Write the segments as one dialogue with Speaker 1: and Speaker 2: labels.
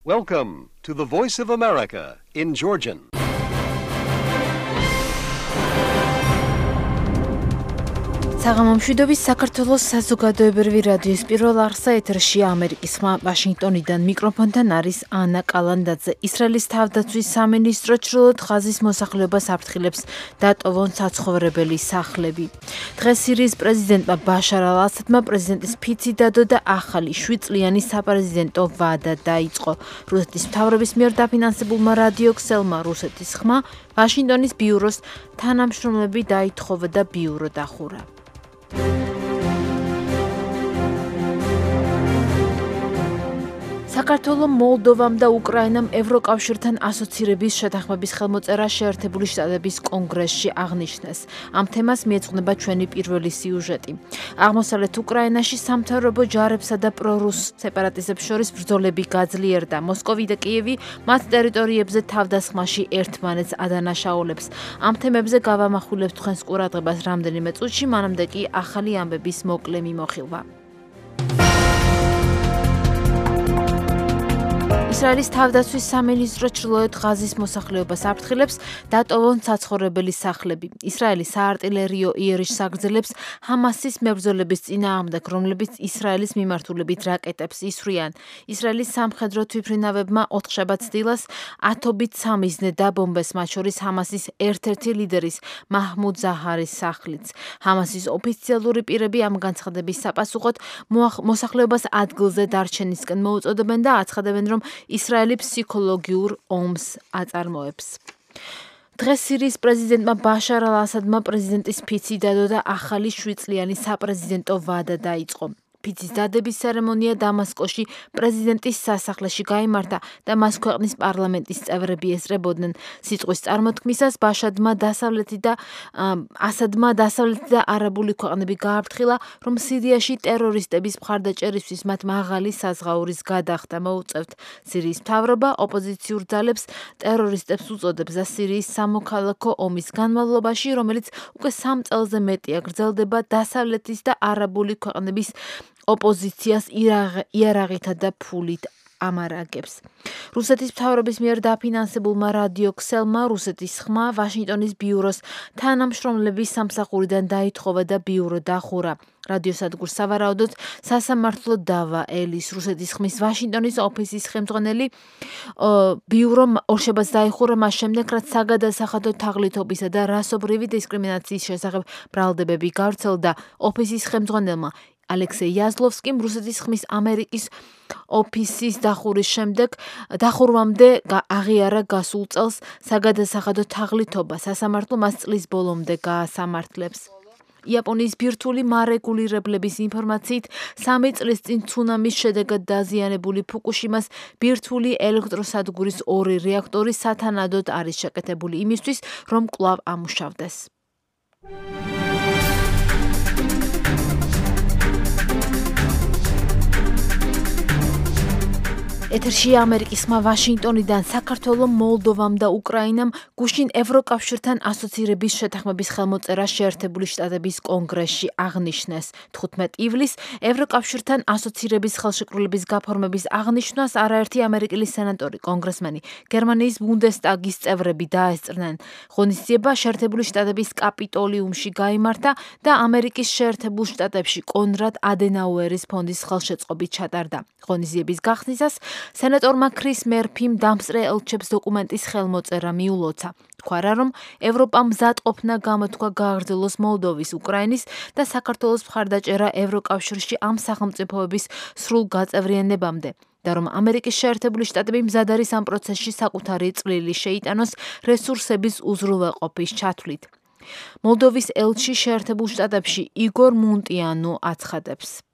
Speaker 1: Welcome to the Voice of America in Georgian.
Speaker 2: საღამომშვიდობის საქართველოს საზოგადოებრივი რადიოს პირველ არხსა ეთერში ამერიკის ხმა ვაშინგტონიდან მიკროფონთან არის ანა კალანდაძე. ისრაელის თავდაცვის სამინისტრო ჩრდილოეთ ღაზის მოსახლეობას აფრთხილებს დატოვონ საცხოვრებელი სახლები. დღეს სირიის პრეზიდენტმა ბაშარ ალ-ასადმა პრეზიდენტის ფიცი დადო და ახალი 7 წლიანი საპრეზიდენტო ვადა დაიწყო. რუსეთის მთავრობის მიერ დაფინანსებულმა რადიო ქსელმა რუსეთის ხმა ვაშინგტონის ბიუროს თანამშრომლები დაითხოვა და ბიურო დახურა. საქართველო მოლდოვამ და უკრაინამ ევროკავშირთან ასოცირების შეთანხმების ხელმოწერა შეერთებული შტატების კონგრესში აღნიშნეს. ამ თემას მიეძღვნება ჩვენი პირველი სიუჟეტი. აღმოსავლეთ უკრაინაში სამთავრობო ჯარებსა და პრორუს სეპარატისტებს შორის ბრძოლები გაძლიერდა. მოსკოვი და კიევი მათ ტერიტორიებზე თავდასხმაში ერთმანეთს ადანაშაულებს. ამ თემებზე გავამახვილებთ თქვენს ყურადღებას რამდენიმე წუთში, მანამდე კი ახალი ამბების მოკლე მიმოხილვა. ისრაელის თავდაცვის სამინისტრო ჩრდილოეთ ღაზის მოსახლეობას აფრთხილებს დატოვონ საცხოვრებელი სახლები. ისრაელი საარტილერიო იერიშს აგრძელებს ჰამასის მებრძოლების წინააღმდეგ, რომლებიც ისრაელის მიმართულებით რაკეტებს ისვრიან. ისრაელის სამხედრო თვითმფრინავებმა ოთხშაბათ დილას ათობით სამიზნე დაბომბეს, მათ შორის ჰამასის ერთ-ერთი ლიდერის მაჰმუდ ზაჰარის სახლიც. ჰამასის ოფიციალური პირები ამ განცხადების საპასუხოდ მოსახლეობას ადგილზე დარჩენისკენ მოუწოდებენ და აცხადებენ, რომ ისრაელი ფსიქოლოგიურ ომს აწარმოებს. დღეს სირიის პრეზიდენტმა ბაშარ ალ-ასადმა პრეზიდენტის ფიცი დადო და ახალი 7 წლიანი საპრეზიდენტო ვადა დაიწყო. ფიცის დადების ცერემონია დამასკოში პრეზიდენტის სასახლეში გაიმართა და მას ქვეყნის პარლამენტის წევრები ესწრებოდნენ. სიტყვის წარმოთქმისას ბაშარმა დასავლეთი და არაბული ქვეყნები გააფრთხილა, რომ სირიაში ტერორისტების მხარდაჭერისთვის მათ მაღალი საზღაურის გადახდა მოუწევთ. სირიის მთავრობა ოპოზიციურ ძალებს ტერორისტებს უწოდებს და სირიის სამოქალაქო ომის განმავლობაში, რომელიც უკვე 3 წელზე მეტია გრძელდება, დასავლეთის და არაბული ქვეყნების ოპოზიციას იარაღითა და ფულით ამარაგებს. რუსეთის მთავრობის მიერ დაფინანსებულმა რადიო ქსელმა რუსეთის ხმა ვაშინგტონის ბიუროს თანამშრომლების სამსახურიდან დაითხოვა და ბიურო დახურა. რადიოსადგურს სავარაუდოდ სასამართლო დავა ელის რუსეთის ხმის ვაშინგტონის ოფისის ხელმძღვანელი ბიურო ორშაბათს დაიხურა მას შემდეგ, რაც საგადასახადო თაღლითობისა და რასობრივი დისკრიმინაციის შესახებ ბრალდებები გავრცელდა. ოფისის ხელმძღვანელმა ალექსეი იაზლოვსკიმ რუსეთის ხმის ამერიკის ოფისის დახურვამდე აღიარა გასულ წელს საგადასახადო თაღლითობა. სასამართლო მას წლის ბოლომდე გაასამართლებს. იაპონიის ბირთვული მარეგულირებლების ინფორმაციით 3 წლის წინ ცუნამის შედეგად დაზიანებული ფუკუშიმას ბირთვული ელექტროსადგურის 2 რეაქტორი სათანადოდ არის შეკეთებული იმისთვის, რომ კვლავ ამუშავდეს. ეთერში ამერიკის ხმა ვაშინგტონიდან საქართველო მოლდოვამ და უკრაინამ გუშინ ევროკავშირთან ასოცირების შეთანხმების ხელმოწერა შეერთებული შტატების კონგრესში აღნიშნეს. 15 ივლისს ევროკავშირთან ასოცირების ხელშეკრულების გაფორმების აღნიშვნას არაერთი ამერიკელი სენატორი, კონგრესმენი, გერმანიის ბუნდესტაგის წევრები დაესწრნენ. ღონისძიება შეერთებული შტატების კაპიტოლიუმში გაიმართა და ამერიკის შეერთებულ შტატებში კონრად ადენაუერის ფონდის ხელშეწყობით ჩატარდა. ღონისძიების გახსნისას სენატორმა ქრის მერფიმ დამსწრე ელჩებს დოკუმენტის ხელმოწერა მიულოცა. თქვა, რომ ევროპამ მზად ყოფნა გამოთქვა გააგრძელოს მოლდოვის, უკრაინის და საქართველოს მხარდაჭერა ევროკავშირში ამ სახელმწიფოების სრულ გაწევრიანებამდე და რომ ამერიკის შეერთებული შტატები მზად არის ამ პროცესში საკუთარი წვლილი შეიტანოს რესურსების უზრუნველყოფის ჩათვლით. მოლდოვის ელჩი შეერთებულ შტატებში იგორ მუნტიანო აცხადებს.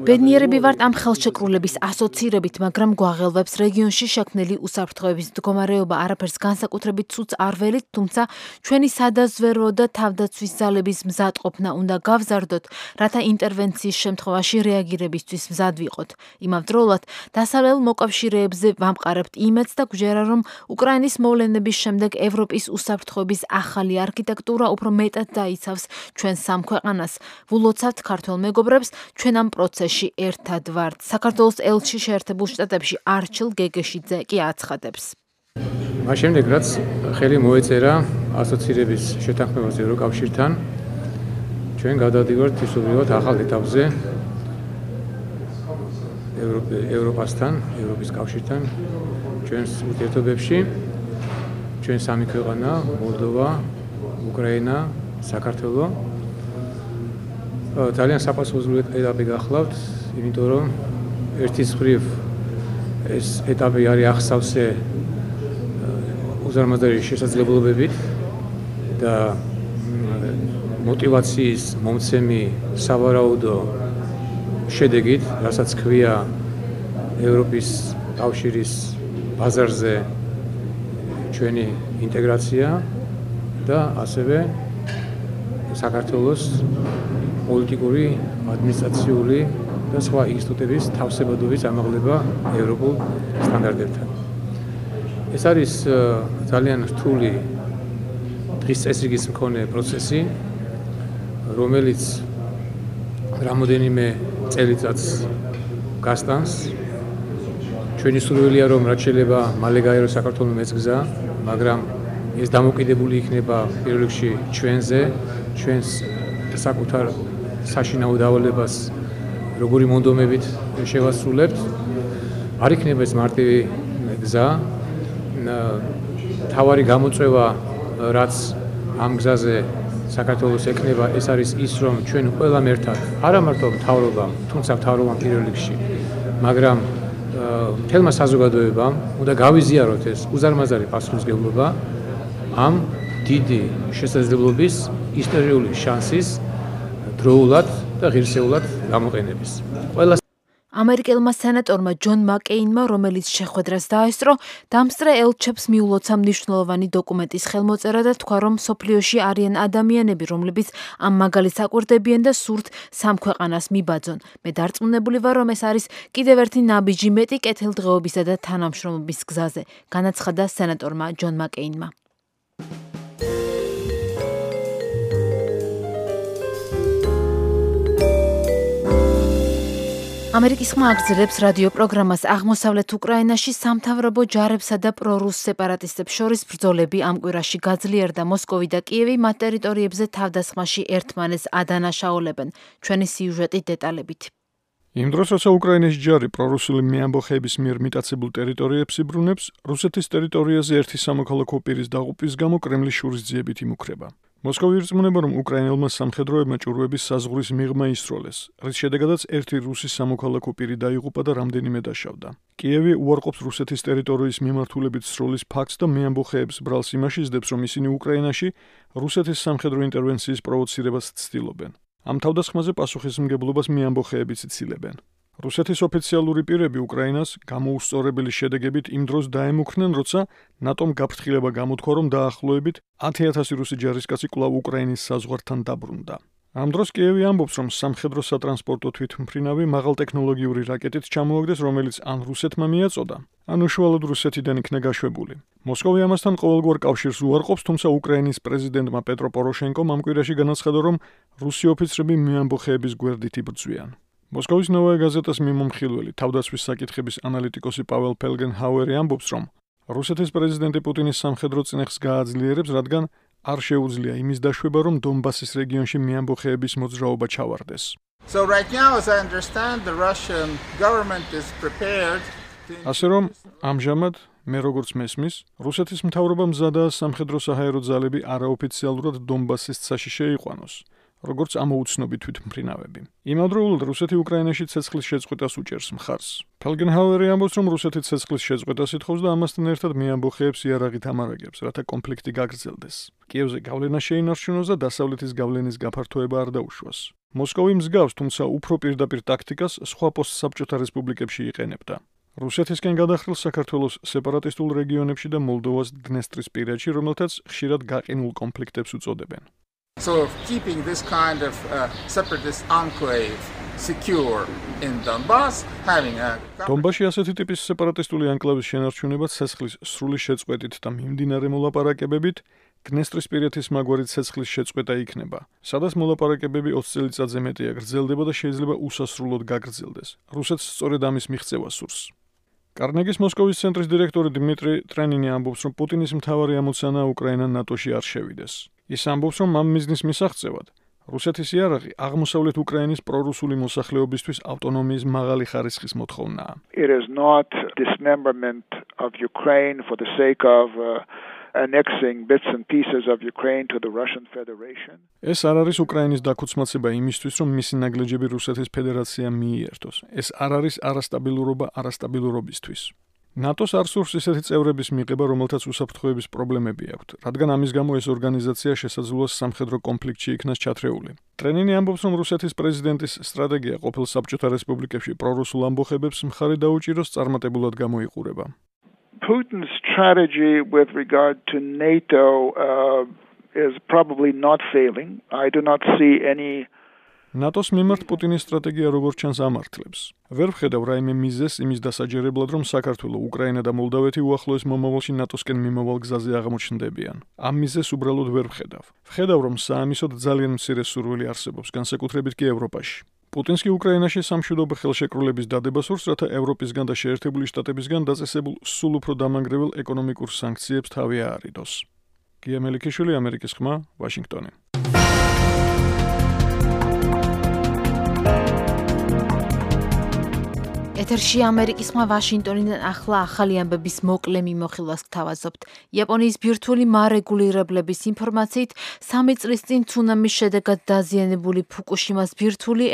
Speaker 2: ბედნიერები ვართ ამ ხელშეკრულების ასოცირებით, მაგრამ გვაღელვებს რეგიონში შექმნილი უსაფრთხოების მდგომარეობა. არაფერს განსაკუთრებით ცუდს არ ველით, თუმცა ჩვენი სადაზვერვო და თავდაცვის ძალების მზადყოფნა უნდა გავზარდოთ, რათა ინტერვენციის შემთხვევაში რეაგირებისთვის მზად ვიყოთ. იმავდროულად დასავლელ მოკავშირეებზე ვამყარებთ იმედს და გვჯერა, რომ უკრაინის მოვლენების შემდეგ ევროპის უსაფრთხოების ახალი არქიტექტურა უფრო მეტად აიცავს ჩვენ სამ ქვეყანას. ვულოცავთ ქართველ მეგობრებს, ჩვენ ამ პროცესში ერთად ვართ. საქართველოს ელჩი შეერთებულ შტატებში არჩილ გეგეშიძე კი აცხადებს.
Speaker 3: მას შემდეგ რაც ხელი მოეწერა ასოცირების შეთანხმებას ევროკავშირთან, ჩვენ გადავდივართ ისულიოთ ახალ ეტაპზე ევროპასთან, ევროპის კავშირთან, ჩვენს ურთიერთობებში, ჩვენ სამი ქვეყანა, მოლდოვა, უკრაინა, საქართველო. ძალიან საპასუხისმგებელი ეტაპი გახლავთ, იმიტომ რომ ერთის მხრივ ეს ეტაპი არის ახსავსე უზარმაზარი შესაძლებლობებით და მოტივაციის მომცემი სავარაუდო შედეგით, რასაც ქვია ევროპის კავშირის ბაზარზე ჩვენი ინტეგრაცია და ასევე საქართველოს პოლიტიკური, ადმინისტრაციული და სხვა ინსტიტუტების თავსებადობის ამაღლება ევროპულ სტანდარტებთან. ეს არის ძალიან რთული დღის წესრიგის მქონე პროცესი, რომელიც რამოდენიმე წელიწადს გასტანს. ჩვენი სურვილია, რომ რაც შეიძლება მალე გაიაროს საქართველოს მეცგზა, მაგრამ ეს დამოკიდებული იქნება პირველ რიგში ჩვენზე, ჩვენს საკუთარ საშინაო დავალებას როგორი მონდომებით შევასრულებთ. არ იქნება ეს მარტივი გზა. თავარი გამოწვევა, რაც ამ გზაზე საქართველოს ეკნება, ეს არის ის, რომ ჩვენ ყველამ ერთად, არა მარტო მთავრობამ, თუმცა მთავრობამ პირველ რიგში, მაგრამ მთელმა საზოგადოებამ უნდა გავიზიაროთ ეს უზარმაზარი პასუხისმგებლობა ამ დიდი შესაძლებლობის, ისტორიული შანსის დროულად და ღირსეულად გამოყენების.
Speaker 2: ამერიკელმა სენატორმა ჯონ მაკეინმა, რომელიც შეხვედრას დაესწრო, დამსწრე ელჩებს მიულოცა მნიშვნელოვანი დოკუმენტის ხელმოწერა და თქვა, რომ მსოფლიოში არიან ადამიანები, რომლებიც ამ მაგალითს აკვირდებიან და სურთ სამ ქვეყანას მიბაძონ. მე დარწმუნებული ვარ, რომ ეს არის კიდევ ერთი ნაბიჯი მეტი კეთილდღეობისა და თანამშრომლობის გზაზე, განაცხადა სენატორმა ჯონ მაკეინმა. ამერიკის ხმა აგრძელებს რადიო პროგრამას აღმოსავლეთ უკრაინაში სამთავრობო ჯარებსა და პრორუს სეპარატისტებს შორის ბრძოლები ამ კვირაში გაძლიერდა. მოსკოვი და კიევი მათ ტერიტორიებზე თავდასხმაში ერთმანეთს ადანაშაულებენ. ჩვენი სიუჟეტი დეტალებით.
Speaker 4: იმ დროს, როცა უკრაინის ჯარი პრორუსული მეამბოხეების მიერ მიტაცებულ ტერიტორიებს იბრუნებს, რუსეთის ტერიტორიაზე ერთი სამოქალაქო პირის დაღუპვის გამო კრემლის შურისძიებით იმუქრება. მოსკოვი ირწმუნება, რომ უკრაინელმა სამხედროებმა ჭურვების საზღვრის მიღმა ისროლეს, რის შედეგადაც ერთი რუსი სამოქალაქო პირი დაიღუპა და რამდენიმე დაშავდა. კიევი უარყოფს რუსეთის ტერიტორიის მიმართულებით სროლის ფაქტს და მეამბოხეებს ბრალს იმაში იზრდებს, რომ ისინი უკრაინაში რუსეთის სამხედრო ინტერვენციის პროვოცირებას ცდილობენ. ამ თავდასხმაზე პასუხისმგებლობას მეამბოხეებიც იცილებენ. რუსეთის ოფიციალური პირები უკრაინას გამოუსწორებელი შედეგებით იმ დროს დაემუქრნენ, როცა ნატომ გაფრთხილება გამოთქვა, რომ დაახლოებით 10,000 რუსი ჯარისკაცი კვლავ უკრაინის საზღვართან დაბრუნდა. ამ დროს კიევი ამბობს, რომ სამხედრო სატრანსპორტო თვითმფრინავი მაღალტექნოლოგიური რაკეტით ჩამოაგდეს, რომელიც ან რუსეთმა მიაწოდა, ან უშუალოდ რუსეთიდან იქნა გაშვებული. მოსკოვი ამასთან ყოველგვარ კავშირს უარყოფს, თუმცა უკრაინის პრეზიდენტმა პეტრო პოროშენკომ ამ კვირაში განაცხადა, რომ რუსი ოფიცრები მეამბოხეების გვერდით იბრძვიან. მოსკოვის ნოვაია გაზეტას მიმომხილველი თავდაცვის საკითხების ანალიტიკოსი პაվել ფელგენჰაუერი ამბობს, რომ რუსეთის პრეზიდენტი პუტინის სამხედრო წინეხს გააძლიერებს, რადგან არ შეუძლია იმის დაშვება, რომ დონბასის რეგიონში მეამბოხეების მოძრაობა ჩავარდეს. ასე რომ, ამჟამად, მე როგორც მესმის, რუსეთის მთავრობა მზადაა სამხედრო საჰაერო ძალები არაოფიციალურად დონბასის ცაში შეიყვანოს, როგორც ამოუცნობი თვითმფრინავები. იმავდროულად რუსეთი უკრაინაში ცეცხლის შეწყვეტას უჭერს მხარს. ფელგენჰაუერი ამბობს, რომ რუსეთი ცეცხლის შეწყვეტას ითხოვს და ამასთან ერთად მეამბოხეებს იარაღით ამარაგებს, რათა კონფლიქტი გაგრძელდეს. კიევზე გავლენა შეინარჩუნოს და დასავლეთის გავლენის გაფართოება არ დაუშვას. მოსკოვი მსგავს, თუმცა უფრო პირდაპირ ტაქტიკას სხვა პოსტსაბჭოთა რესპუბლიკებში იყენებდა. რუსეთისკენ გადახრილ საქართველოს სეპარატისტულ რეგიონებში და მოლდოვას დნესტრისპირეთში, რომელთაც ხშირად გაყინულ კონფლიქტებს უწოდებენ.
Speaker 5: So keeping this kind of separatist enclave secure in Donbass, having a
Speaker 4: დონბასში ასეთი ტიპის სეპარატისტული ანკლავის შენარჩუნება ცეცხლის სრული შეწყვეტით და მიმდინარე მოლაპარაკებებით დნესტრისპირეთის მაგვარი ცეცხლის შეწყვეტა იქნება, სადაც მოლაპარაკებები 20 წელიწადზე მეტია გრძელდება და შეიძლება უსასრულოდ გაგრძელდეს. რუსეთს სწორედ ამის მიღწევა სურს. კარნეგის მოსკოვის ცენტრის დირექტორი დმიტრი ტრენინი ამბობს, რომ პუტინის მთავარი ამოცანაა უკრაინა ნატოში არ შევიდეს. ის ამბობს, რომ ამ მიზნის მისაღწევად რუსეთის იარაღი აღმოსავლეთ უკრაინის პრორუსული მოსახლეობისთვის ავტონომიის მაღალი ხარისხის მოთხოვნაა.
Speaker 6: It is not dismemberment of Ukraine for the sake of annexing bits and pieces of Ukraine to the Russian Federation.
Speaker 4: ეს არ არის უკრაინის დაქუცმაცება იმისთვის, რომ მისი ნაგლეჯები რუსეთის ფედერაციამ მიიერთოს. ეს არ არის არასტაბილურობა არასტაბილურობისთვის. ნატოს არ სურს ისეთი წევრების მიღება, რომელთაც უსაფრთხოების პრობლემები აქვთ, რადგან ამის გამო ეს ორგანიზაცია შესაძლოა სამხედრო კონფლიქტში იქნას ჩათრეული. ტრენინი ამბობს, რომ რუსეთის პრეზიდენტის სტრატეგია ყოფილ საბჭოთა რესპუბლიკებში პრორუსულ ამბოხებებს მხარი დაუჭიროს წარმატებულად გამოიყურება.
Speaker 6: Putin's strategy with regard to NATO is probably not failing. I do not see any
Speaker 4: ნატოს მიმართ პუტინის სტრატეგია როგორც ჩანს ამართლებს. ვერ ვხედავ რაიმე მიზეზს იმის დასაჯერებლად, რომ საქართველო, უკრაინა და მოლდავეთი უახლოეს მომავალში ნატოსკენ მიმავალ გზაზე აღმოჩნდებიან. ამ მიზეზს უბრალოდ ვერ ვხედავ. ვხედავ, რომ საამისოდ ძალიან მცირე სურვილი არსებობს, განსაკუთრებით კი ევროპაში. პუტინს კი უკრაინაში სამშვიდობო ხელშეკრულების დადება სურს, რათა ევროპისგან და შეერთებული შტატებისგან დაწესებულ სულ უფრო დამანგრეველ ეკონომიკურ სანქციებს თავი აარიდოს. გია მელიქიშვილი, ამერიკის ხმა, ვაშინგტონი.
Speaker 2: ეთერში ამერიკის ხმა ვაშინგტონიდან ახლა ახალი ამბების მოკლე მიმოხილვას გთავაზობთ. იაპონიის ბირთვული მარეგულირებლების ინფორმაციით 3 წლის წინ ცუნამის შედეგად დაზიანებული ფუკუშიმას ბირთვული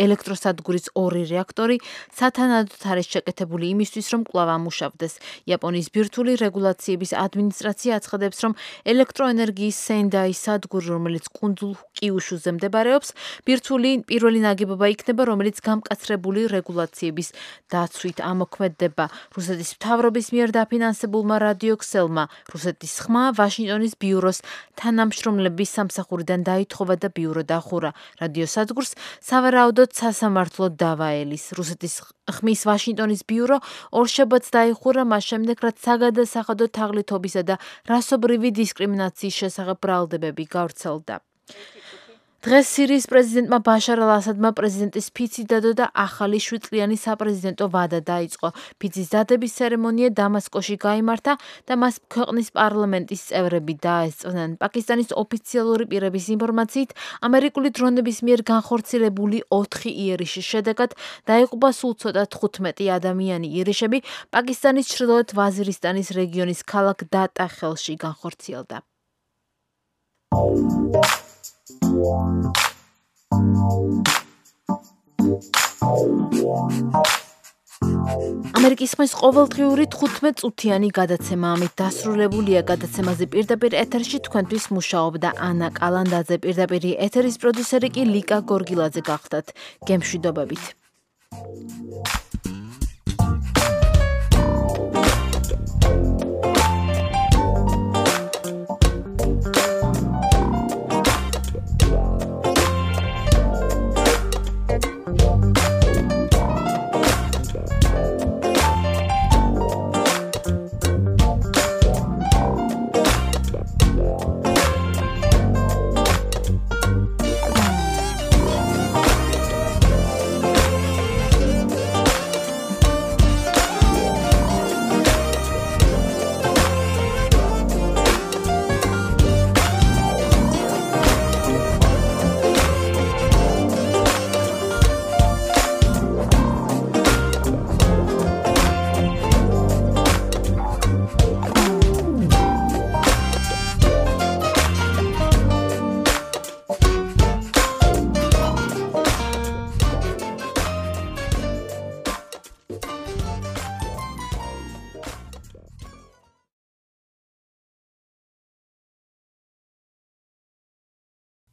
Speaker 2: ელექტროსადგურის 2 რეაქტორი სათანადოდ არის შეკეთებული იმისთვის, რომ კვლავ ამუშავდეს. იაპონიის ბირთვული რეგულაციების ადმინისტრაცია აცხადებს, რომ ელექტროენერგიის სენდაის სადგური, რომელიც კუნძულ კიუშუზე მდებარეობს, ბირთვული პირველი ნაგებობა იქნება, რომელიც გამკაცრებული რეგულაციების დაცვით ამოქმედდება. რუსეთის მთავრობის მიერ დაფინანსებულმა რადიოქსელმა რუსეთის ხმა ვაშინგტონის ბიუროს თანამშრომლების სამსახურიდან დაითხოვა და ბიურო დახურა. რადიოსადგურს სავარაუდოდ სასამართლო დავა ელის. რუსეთის ხმის ვაშინგტონის ბიურო ორშაბათს დაიხურა მას შემდეგ, რაც საგადასახადო თაღლითობისა და რასობრივი დისკრიმინაციის შესახებ ბრალდებები გავრცელდა. დღეს სირიის პრეზიდენტმა ბაშარ ალ-ასადმა პრეზიდენტის ფიცი დადო და ახალი 7 წლიანი საპრეზიდენტო ვადა დაიწყო. ფიცის დადების ცერემონია დამასკოში გაიმართა და მას ქვეყნის პარლამენტის წევრები დაესწრნენ. პაკისტანის ოფიციალური პირების ინფორმაციით, ამერიკული დრონების მიერ განხორციელებული 4 იერიშის შედეგად დაიღუპა სულ ცოტა 15 ადამიანი. იერიშები პაკისტანის ჩრდილოეთ ვაზირისტანის რეგიონის ქალაქ დატა ხელში განხორციელდა. ამერიკის ხმის ყოველდღიური 15 წუთიანი გადაცემა ამით დასრულებულია. გადაცემაზე პირდაპირ ეთერში თქვენთვის მუშაობდა ანა კალანდაძე, პირდაპირ ეთერის პროდიუსერი კი ლიკა გორგილაძე გახდათ. გემშვიდობებით.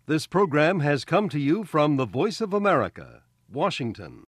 Speaker 1: This program has come to you from the Voice of America, Washington.